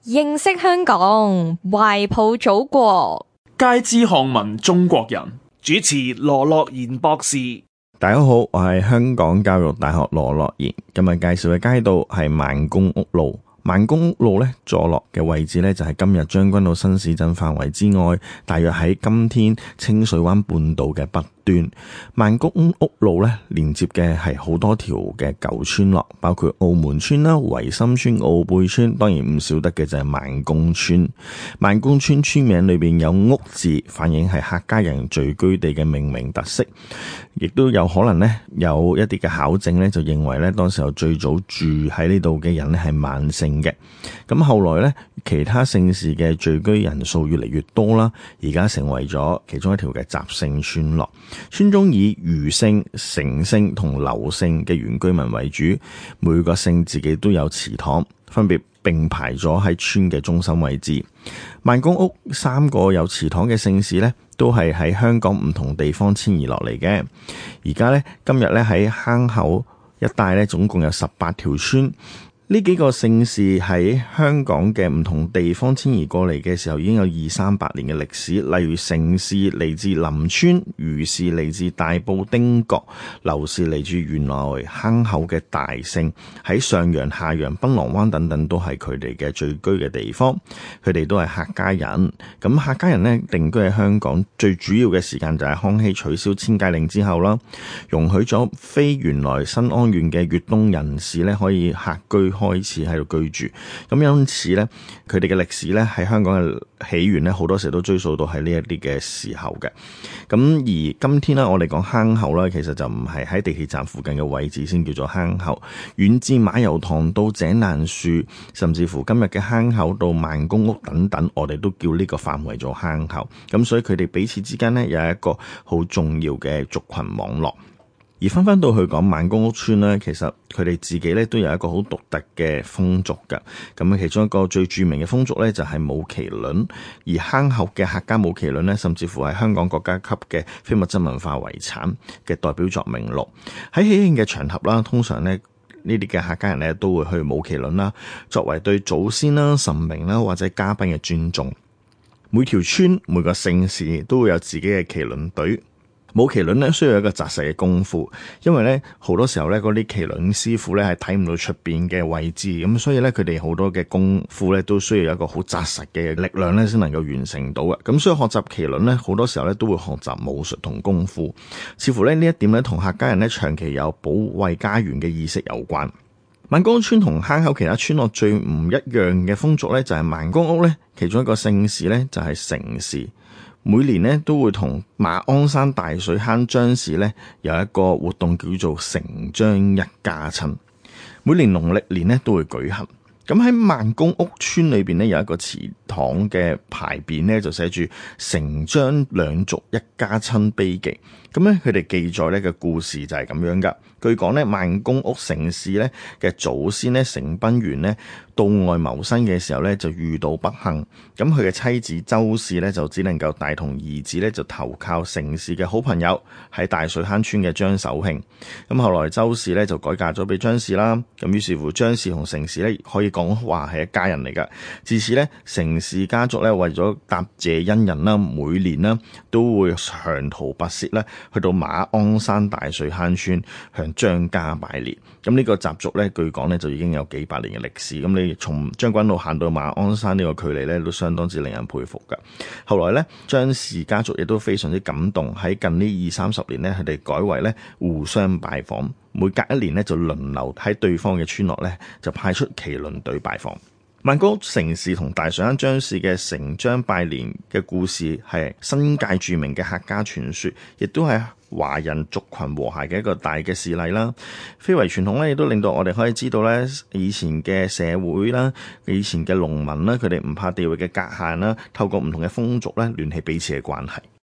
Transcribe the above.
認識香港，懷抱祖國，皆知漢文中國人。主持羅樂賢博士。大家好，我係香港教育大學羅樂賢。今日介紹嘅街道係萬公屋路。萬公屋路咧坐落嘅位置咧就係今日將軍澳新市鎮範圍之外，大約喺今天清水灣半島嘅北端。萬公屋路咧連接嘅係好多條嘅舊村落，包括澳門村啦、維深村、澳貝村，當然唔少得嘅就係萬公村。萬公村村名裏邊有屋字，反映係客家人聚居地嘅命名特色，亦都有可能咧有一啲嘅考證咧就認為咧當時候最早住喺呢度嘅人咧係萬姓嘅。咁後來咧其他姓氏嘅聚居人數越嚟越多啦，而家成為咗其中一條嘅雜姓村落。村中以余姓、成姓同劉姓嘅原居民為主，每個姓自己都有祠堂，分別並排咗喺村嘅中心位置。萬公屋3個有祠堂嘅姓氏呢，都係喺香港唔同地方遷移落嚟嘅。而家呢，今日呢喺坑口一帶呢，總共有18條村。呢幾個姓氏喺香港嘅唔同地方遷移過嚟嘅時候，已經有200-300年嘅歷史。例如成氏嚟自林村，余氏嚟自大埔汀角，劉氏嚟自原來坑口嘅大姓，喺上洋、下洋、檳榔灣等等都係佢哋嘅聚居嘅地方。佢哋都係客家人。咁客家人呢，定居喺香港最主要嘅時間就係康熙取消遷界令之後啦，容許咗非原來新安縣嘅粵東人士呢可以客居開始喺度居住，咁因此咧，佢哋嘅歷史咧喺香港嘅起源咧，好多時都追溯到喺呢一啲嘅時候嘅。咁而今天咧，我哋講坑口咧，其實就唔係喺地鐵站附近嘅位置先叫做坑口，遠至馬油塘到井欄樹，甚至乎今日嘅坑口到萬公屋等等，我哋都叫呢個範圍做坑口。咁所以佢哋彼此之間咧有一個好重要嘅族群網絡。而翻到去講萬公屋村咧，其實佢哋自己咧都有一個好獨特嘅風俗㗎。咁其中一個最著名嘅風俗咧就係舞麒麟，而坑口嘅客家舞麒麟咧，甚至乎係香港國家級嘅非物質文化遺產嘅代表作名錄。喺喜慶嘅場合啦，通常咧呢啲嘅客家人咧都會去舞麒麟啦，作為對祖先啦、神明啦或者嘉賓嘅尊重。每條村每個姓氏都會有自己嘅麒麟隊。舞麒麟咧需要一個紮實嘅功夫，因為咧好多時候咧嗰啲麒麟師傅咧係睇唔到出邊嘅位置，咁所以咧佢哋好多嘅功夫咧都需要有一個好紮實嘅力量咧先能夠完成到嘅。咁所以學習麒麟咧好多時候咧都會學習武術同功夫，似乎咧呢一點咧同客家人咧長期有保衛家園嘅意識有關。萬公屋村同坑口其他村落最唔一樣嘅風俗咧就係萬公屋咧其中一個姓氏咧就係成氏。每年咧都會同馬鞍山大水坑張氏咧有一個活動叫做成張一家親，每年農曆年咧都會舉行。咁喺萬公屋村裏邊咧有一個祠堂嘅牌匾咧就寫住成張兩族一家親碑記。咁咧佢哋記載咧嘅故事就係咁樣噶。據講咧萬公屋成氏咧嘅祖先咧成賓元咧到外謀生嘅時候咧就遇到不幸，咁佢嘅妻子周氏咧就只能夠帶同兒子咧就投靠成氏嘅好朋友喺大水坑村嘅張守慶。咁後來周氏咧就改嫁咗俾張氏啦，咁於是乎張氏同成氏咧可以講話係一家人嚟噶。自此咧成氏家族咧為咗答謝恩人啦，每年啦都會長途跋涉咧去到馬鞍山大水坑村向張家拜年。咁呢個習俗咧據講咧就已經有幾百年嘅歷史。咁你從將軍澳行到馬鞍山呢個距離咧都相當之令人佩服噶。後來咧張氏家族亦都非常之感動，喺近呢20-30年咧佢哋改為咧互相拜訪，每隔一年咧就輪流喺對方嘅村落咧就派出麒麟隊拜訪。萬公屋成氏同大水坑張氏嘅成張拜年嘅故事係新界著名嘅客家傳說，亦都係華人族群和諧嘅一個大嘅事例啦。非遺傳統咧，亦都令到我哋可以知道咧，以前嘅社會啦，以前嘅農民啦，佢哋唔怕地域嘅隔閡啦，透過唔同嘅風俗咧，聯繫彼此嘅關係。